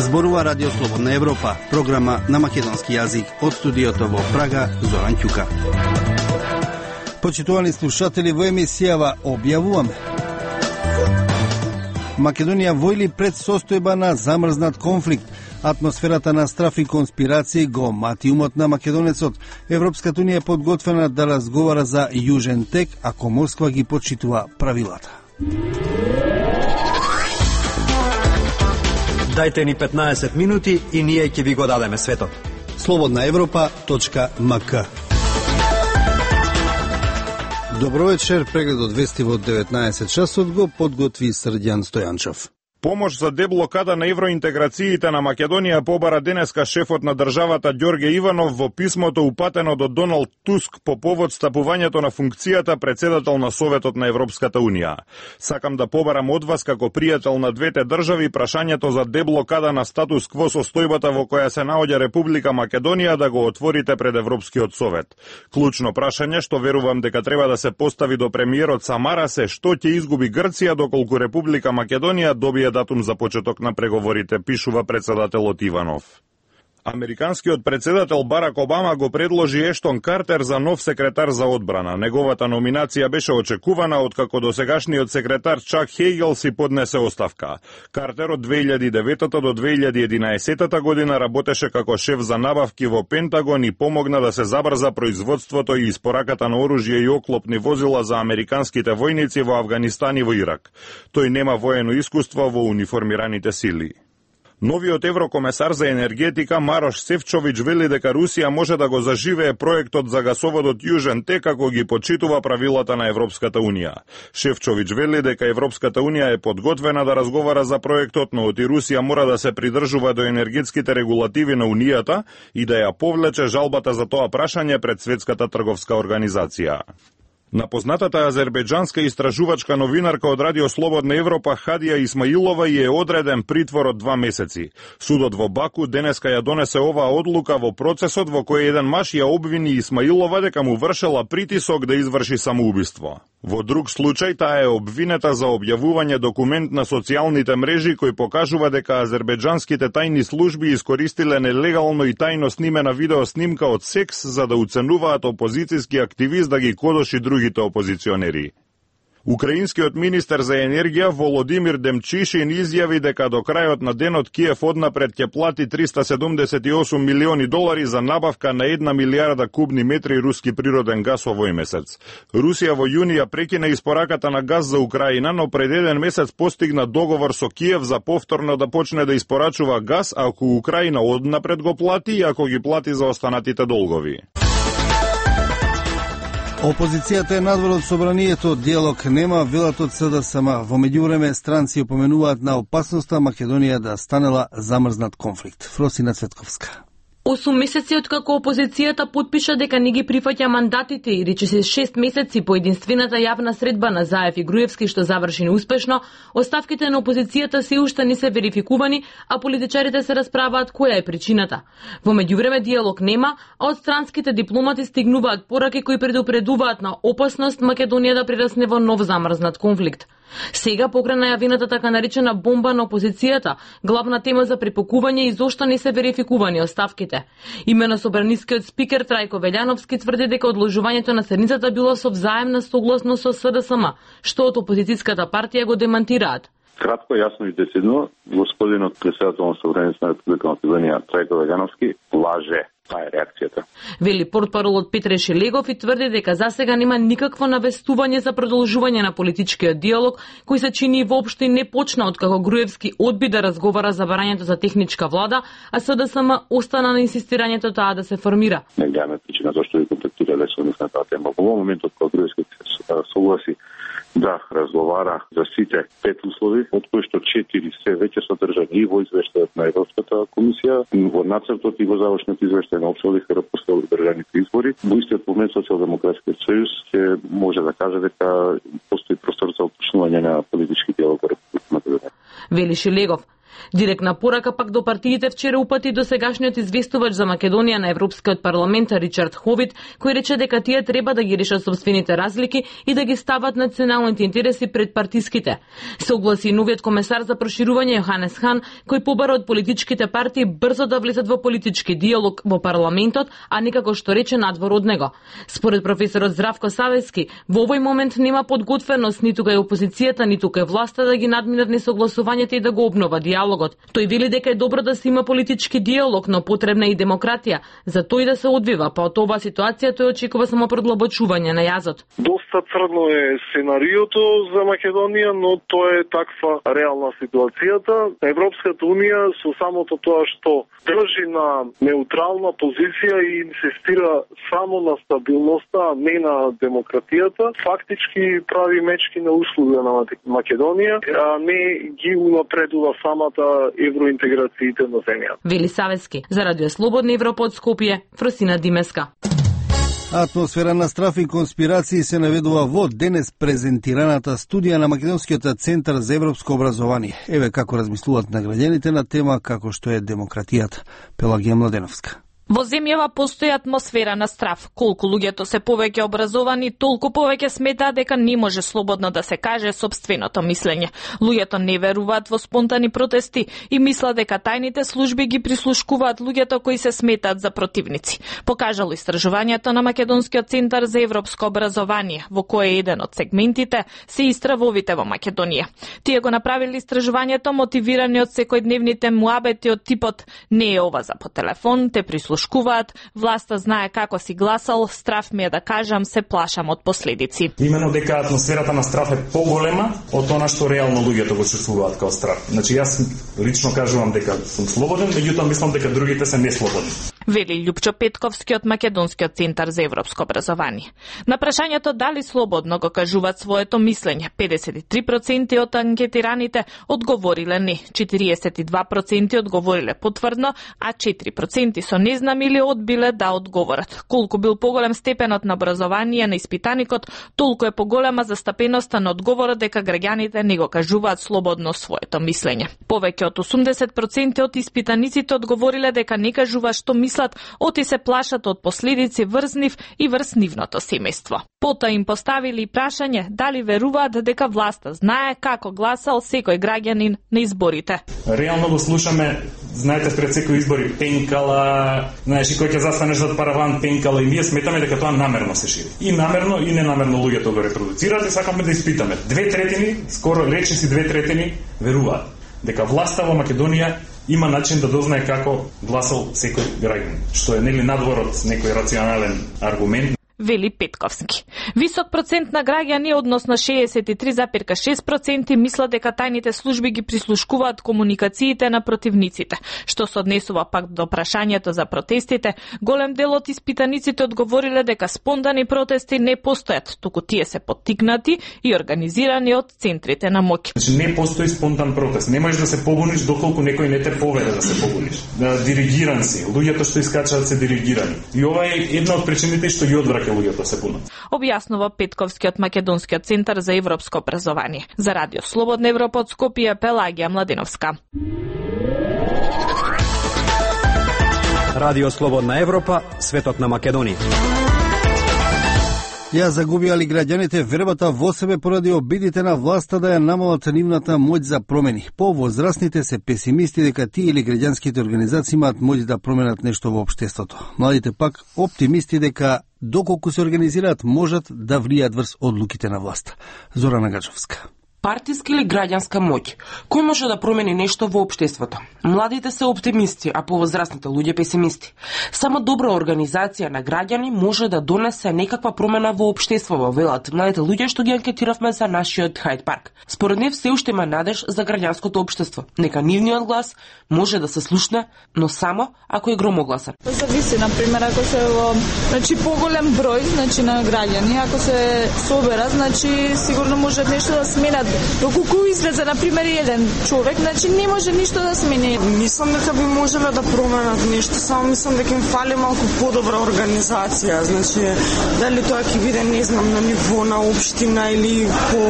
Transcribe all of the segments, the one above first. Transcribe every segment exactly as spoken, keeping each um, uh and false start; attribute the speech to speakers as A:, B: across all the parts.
A: Зборува Радио Слободна Европа, програма на македонски јазик од студиото во Прага, Зоран Ќука. Почитувани слушатели, во емисијава објавуваме: Македонија во или пред состојба на замрзнат конфликт, атмосферата на страф и конспирации го мати умот на македонецот. Европската унија е подготвена да разговара за Јужен тек, ако Москва ги почитува правилата.
B: Дајте ни петнаесет минути и ние ќе ви го дадеме светот.
A: слободна европа точка ем ка. Добро вечер, прегледот вести во деветнаесет часот го подготви Срдјан Стојанчов.
C: Помош за деблокада на евроинтеграциите на Македонија побара денеска шефот на државата Ѓорѓе Иванов во писмото упатено до Доналд Туск по повод стапувањето на функцијата председател на Советот на Европската Унија. Сакам да побарам од вас како пријател на двете држави прашањето за деблокада на статус кво состојбата во која се наоѓа Република Македонија да го отворите пред Европскиот Совет. Клучно прашање што верувам дека треба да се постави до премиерот Самарас е што ќе изгуби Грција доколку Република Македонија добие датум за почеток на преговорите, пишува председателот Иванов. Американскиот председател Барак Обама го предложи Ештон Картер за нов секретар за одбрана. Неговата номинација беше очекувана откако досегашниот секретар Чак Хейгел си поднесе оставка. Картер од две илјади и девета до две илјади и единаесета година работеше како шеф за набавки во Пентагон и помогна да се забрза производството и испораката на оружје и оклопни возила за американските војници во Авганистан и во Ирак. Тој нема воено искуство во униформираните сили. Новиот еврокомесар за енергетика Марош Сефчовиќ вели дека Русија може да го заживее проектот за гасоводот Јужен тек ако ги почитува правилата на Европската Унија. Шефчовиќ вели дека Европската Унија е подготвена да разговара за проектот, но и Русија мора да се придржува до енергетските регулативи на Унијата и да ја повлече жалбата за тоа прашање пред Светската трговска организација. На познатата азербејџанска истражувачка новинарка од Радио Слободна Европа Хадија Исмаилова ја е одреден притвор од два месеци. Судот во Баку денеска ја донесе оваа одлука во процесот во кој еден маж ја обвини Исмаилова дека му вршела притисок да изврши самоубиство. Во друг случај таа е обвинета за објавување документ на социјалните мрежи кој покажува дека азербејџанските тајни служби искористиле нелегално и тајно снимена видеоснимка од секс за да уценуваат опозицијски активист да ги кодоши другите опозиционери. Украинскиот министер за енергија Володимир Демчишин изјави дека до крајот на денот Киев однапред ќе плати триста седумдесет и осум милиони долари за набавка на една милијарда кубни метри руски природен газ овој месец. Русија во јуни ја прекина испораката на газ за Украина, но пред еден месец постигна договор со Киев за повторно да почне да испорачува газ ако Украина однапред го плати и ако ги плати за останатите долгови.
A: Опозицијата е надвор од собранието, диалог нема, велат од СДСМ. Во меѓувреме странци упоменуваат на опасноста Македонија да станела замрзнат конфликт. Фросина Цветковска.
D: осум месеци откако опозицијата потпиша дека не ги прифаќа мандатите и речиси шест месеци по единствената јавна средба на Заев и Груевски што заврши неуспешно, оставките на опозицијата се уште не се верификувани, а политичарите се расправаат која е причината. Во меѓувреме диалог нема, а од странските дипломати стигнуваат пораки кои предупредуваат на опасност Македонија да прерасне во нов замрзнат конфликт. Сега покрај најавената така наречена бомба на опозицијата, главна тема за препокување и зошто не се верификувани оставките. Имено собранискиот спикер Трајко Велјановски тврди дека одложувањето на седницата било со взаемна согласност со СДСМ, што од опозицијската партија го демантираат.
E: Кратко, јасно и децидно, господинот председател на Собранието на Република Македонија Трајко Велјановски лаже. Таа е реакцијата.
D: Вели портпаролот Петре Шелегов и тврди дека засега нема никакво навестување за продолжување на политичкиот диалог, кој се чини воопшто не почна откако Груевски одби да разговара за барањето за техничка влада, а СДСМ остана на инсистирањето таа да се формира.
E: Не гледаме причина зашто ви контактирале со нас на таа тема. Во моментот кога Груевски се согласи да разговара за сите пет услови, од кои што четири се веќе содржани и во извештајот на Европската комисија, во нацртот и во завршниот извештај на обсолихера после одржаните избори. Во истиот момент Социјалдемократскиот сојуз ќе може да каже дека постои простор за уточнување на политички диалог во Република Македонија.
D: Вели Шелегов. Директна порака пак до партиите вчера упати досегашниот известувач за Македонија на Европскиот парламент Ричард Ховит, кој рече дека тие треба да ги решат собствените разлики и да ги стават националните интереси пред партиските. Се огласи новиот комесар за проширување Јоханес Хан, кој побара од политичките партии брзо да влезат во политички диалог во парламентот, а не како што рече надвор од него. Според професорот Здравко Савески, во овој момент нема подготвеност ниту кај опозицијата, ниту кај власта да ги надминат несогласувањата и да го обнова диалогот. Тој вели дека е добро да се има политички диалог, но потребна и демократија, за тој да се одвива, па од оваа ситуација тој очекува само продлабочување на јазот.
F: Доста црно е сценариото за Македонија, но тоа е таква реална ситуацијата. Европската унија со самото тоа што држи на неутрална позиција и инсистира само на стабилноста, а не на демократијата, фактички прави мечки на услуга на Македонија, а не ги унапредува самата евроинтеграциите на земјата.
D: Вели Савески. За Радио Слободна Европа од Скопје, Фросина Димеска.
A: Атмосфера на страф и конспирации се наведува во денес презентираната студија на Македонскиот центар за европско образование. Еве како размислуваат наградените на тема како што е демократијата. Пелагија Младеновска.
G: Во земјава постои атмосфера на страф. Колку луѓето се повеќе образовани, толку повеќе сметаат дека не може слободно да се каже собственото мислење. Луѓето не веруваат во спонтани протести и мислат дека тајните служби ги прислушкуваат луѓето кои се сметаат за противници. Покажало истражувањето на Македонскиот центар за европско образование, во кое еден од сегментите се истравовите во Македонија. Тие го направили истражувањето мотивирани од секојдневните муабети од типот не е ова за по телефон, те прислушкуваат шкуваат, власта знае како си гласал, страф ми е да кажам, се плашам од последици.
H: Имено дека атмосферата на страф е поголема од она што реално луѓето го чувствуваат као страф. Значи јас лично кажувам дека сум слободен, меѓутоа мислам дека другите се неслободни.
G: Вели Љупчо Петковски од Македонскиот центар за европско образование. На прашањето дали слободно го кажуваат своето мислење, педесет и три проценти од анкетираните одговориле не, четириесет и два проценти одговориле потврдно, а четири проценти со не знам или одбиле да одговорат. Колку бил поголем степенот на образование на испитаникот, толку е поголема застапеноста на одговорот дека граѓаните не го кажуваат слободно своето мислење. Повеќе од осумдесет проценти од испитаниците одговориле дека не кажуваат што мислат, оти се плашат од последици врз нив и врз нивното семејство. Потоа им поставили прашање дали веруваат дека власта знае како гласал секој граѓанин на изборите.
H: Реално го слушаме, знаете, пред секој избори пенкала, знаеш, и кој ќе застанеш зад параван пенкала, и ние сметаме дека тоа намерно се шири. И намерно и ненамерно луѓето го репродуцираат и сакаме да испитаме. Две третини, скоро речиси две третини, веруваат дека власта во Македонија има начин да дознае како гласал секој граѓанин, што е нели надвор од некој рационален аргумент.
G: Вели Петковски. Висок процент на граѓани, односно шеесет и три зарез и шест проценти, мислат дека тајните служби ги прислушкуваат комуникациите на противниците. Што се однесува пак до прашањето за протестите, голем дел од испитаниците одговориле дека спонтани протести не постојат, туку тие се поттикнати и организирани од центрите на моќ.
H: Значи не постои спонтан протест. Не можеш да се побуниш доколку некој не те поведе да се побуниш. Да диригиран си. Луѓето што искачаат се диригирани. И ова е една од причините што ги одвраќа луѓето се бунат.
G: Објаснува Петковски од Македонскиот центар за европско образование. За Радио Слободна Европа од Скопје, Пелагија Младеновска.
B: Радио Слободна Европа, светот на Македонија.
A: Ја загубија ли граѓаните вербата во себе поради обидите на власта да ја намалат нивната моќ за промени? Повозрастните се песимисти дека тие или граѓанските организации имаат моќ да променат нешто во општеството. Младите пак оптимисти дека доколку се организираат можат да влијат врз одлуките на власта. Зорана Гачовска.
I: Партиска или граѓанска моќ? Кој може да промени нешто во општеството? Младите се оптимисти, а повозрастните луѓе песимисти. Само добра организација на граѓани може да донесе некаква промена во општеството, велат младите луѓе што ги анкетиравме за нашиот Хајд парк. Според нив се уште има надеж за граѓанското општество. Нека нивниот глас може да се слушне, но само ако е громогласен.
J: Зависи, на пример, ако се во, значи поголем број, значи на граѓани, ако се соберат, значи сигурно може нешто да сменат Доколку излезе на пример еден човек, значи не може ништо да смени.
I: Мислам дека би можеле да променат нешто, само мислам дека им фали малку подобра организација. Значи, дали тоа ќе биде, не знам, на ниво на општина или по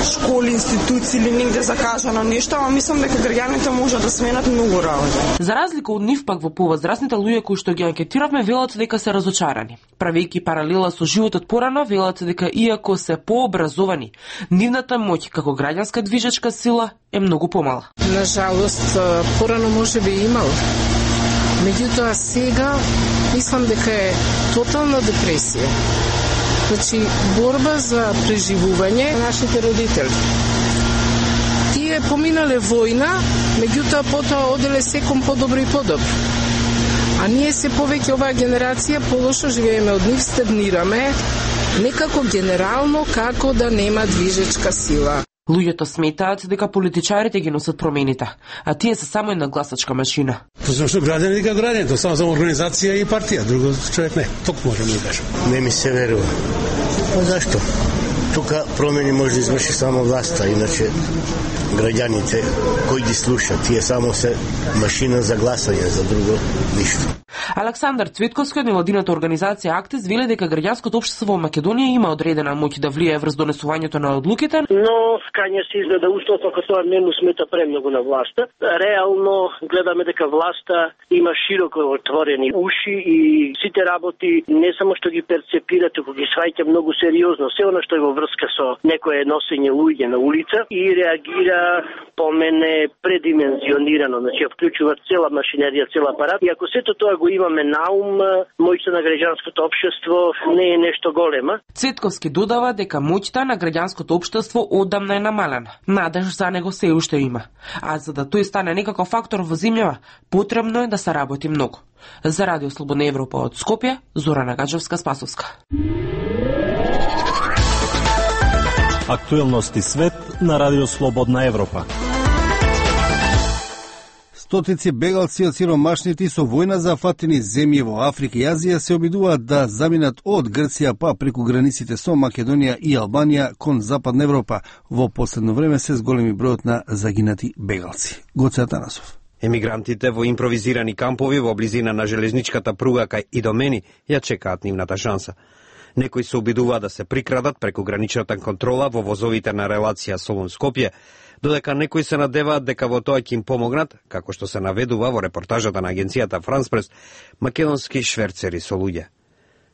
I: школи, институции или негде закажано нешто, ама мислам дека граѓаните може да сменат многу работи. За разлика од нив пак во повозрасните луѓе кои што ги анкетиравме велат дека се разочарани. Правејќи паралела со животот порано, велат дека иако се пообразовани, нивната моќ како граѓанска движечка сила е многу помала.
K: На жалост, порано може би имал. Меѓутоа сега мислам дека е тотална депресија. Значи, борба за преживување на нашите родители. Тие поминале војна, меѓутоа потоа оделе секом подобро и подобро. А ние се повеќе оваа генерација полошо живееме од нив, стагнираме, некако генерално како да нема движечка сила.
I: Луѓето сметаат дека политичарите ги носат промените, а тие се само една гласачка машина.
L: Зашто граѓани дека граѓаните, само за организација и партија, друго човек не. Ток можеме да кажем.
M: Не ми се верува. А зашто? Тука промени може да изврши само власта, иначе граѓаните кои ги слушат, тие само се машина за гласање, за друго ништо.
I: Александар Цветковски од невладината организација Актис вели дека граѓанското општество во Македонија има одредена моќ да влијае врз донесувањето на одлуките,
N: но кање се изгледа устов ако тоа не му смета премногу на власта. Реално гледаме дека власта има широко отворени уши и сите работи не само што ги перцепира, туку ги сваќа многу сериозно се она што е во врска со некое носење луѓе на улица и реагира по мене предимензионирано, значи вклучува цела машинерија, цел апарат и ако сето тоа го имаме на ум, моќта на граѓанското општество не е нешто голема.
I: Цветковски додава дека моќта на граѓанското општество одамна е намалена. Надеж за него се уште има. А за да тој стане некаков фактор во земјава, потребно е да се работи многу. За Радио Слободна Европа од Скопје, Зорана Гаджевска-Спасовска.
O: Актуелности свет на Радио Слободна Европа.
A: Стотици бегалци од сиромашните со војна зафатени земји во Африка и Азија се обидуваат да заминат од Грција па преку границите со Македонија и Албанија кон Западна Европа. Во последно време се зголеми бројот на загинати бегалци. Гоце Атанасов.
B: Емигрантите во импровизирани кампови во близина на железничката пруга кај Идомени ја чекаат нивната шанса. Некои се обидуваат да се прикрадат преку граничната контрола во возовите на релација Солун-Скопје, додека некои се надеваат дека во тоа ќе им помогнат, како што се наведува во репортажата на агенцијата Франс Прес, македонски шверцери со луѓе.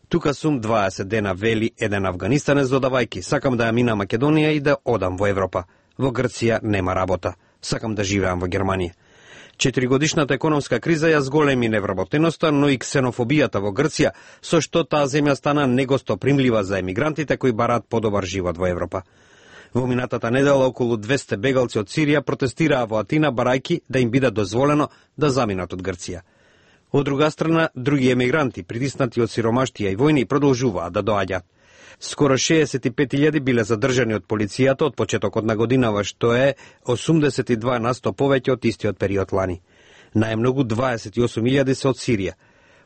B: Тука сум дваесет дена, вели еден афганистанец додавајки, сакам да ја мина Македонија и да одам во Европа. Во Грција нема работа, сакам да живеам во Германија. Четиригодишната економска криза ја зголеми невработеноста, но и ксенофобијата во Грција, со што таа земја стана негостопримлива за емигрантите кои бараат подобар живот во Европа. Во минатата недела околу двесте бегалци од Сирија протестираа во Атина барајки да им биде дозволено да заминат од Грција. Од друга страна, други емигранти, притиснати од сиромаштија и војни, продолжуваат да доаѓаат. Скоро шеесет и пет илјади биле задржани од полицијата од почетокот на годинава, што е осумдесет и два на сто повеќе од истиот период лани. Најмногу дваесет и осум илјади се од Сирија.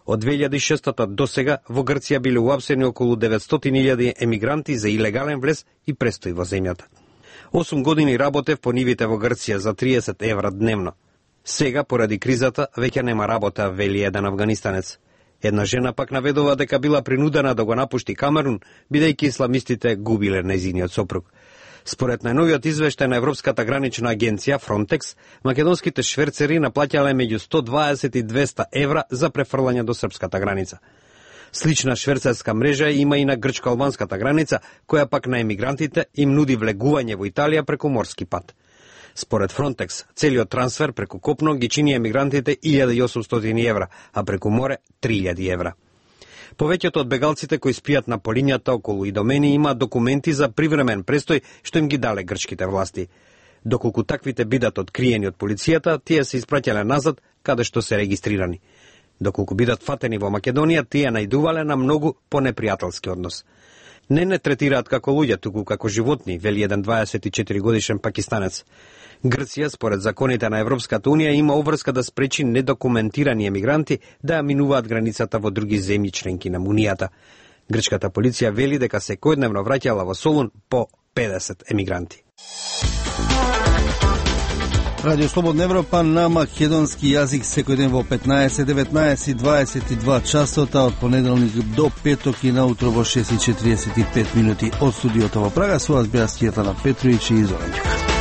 B: Од две илјади и шеста до сега во Грција биле уапсени околу деветстотини илјади емигранти за илегален влез и престој во земјата. осум години работев по нивите во Грција за триесет евра дневно. Сега, поради кризата, веќе нема работа, вели еден афганистанец. Една жена пак наведува дека била принудена да го напушти Камерун, бидејќи исламистите губиле нејзиниот сопруг. Според најновиот извештај на Европската гранична агенција Фронтекс, македонските шверцери наплаќале меѓу сто дваесет и двесте евра за префрлање до српската граница. Слична шверцерска мрежа има и на грчко-албанската граница, која пак на емигрантите им нуди влегување во Италија преку морски пат. Според Фронтекс, целиот трансфер преку копно ги чини емигрантите илјада и осумстотини евра, а преку море три илјади евра. Повеќето од бегалците кои спијат на полињата околу Идомени имаат документи за привремен престој што им ги дале грчките власти. Доколку таквите бидат откриени од полицијата, тие се испраќале назад каде што се регистрирани. Доколку бидат фатени во Македонија, тие најдувале на многу понепријателски однос. Не не третираат како луѓе, туку како животни, вели еден дваесет и четири годишен пакистанец. Грција, според законите на Европската унија, има обврска да спречи недокументирани емигранти да ја минуваат границата во други земји членки на Унијата. Грчката полиција вели дека секојдневно враќала во Солун по педесет емигранти.
A: Радио Слободна Европа на македонски јазик секој ден во петнаесет, деветнаесет, дваесет и два часота од понеделник до петок и наутро во шест и четириесет и пет минути од студиото во Прага. Со вас беа Сјетана Петровиќ и Зоран Ѓуков.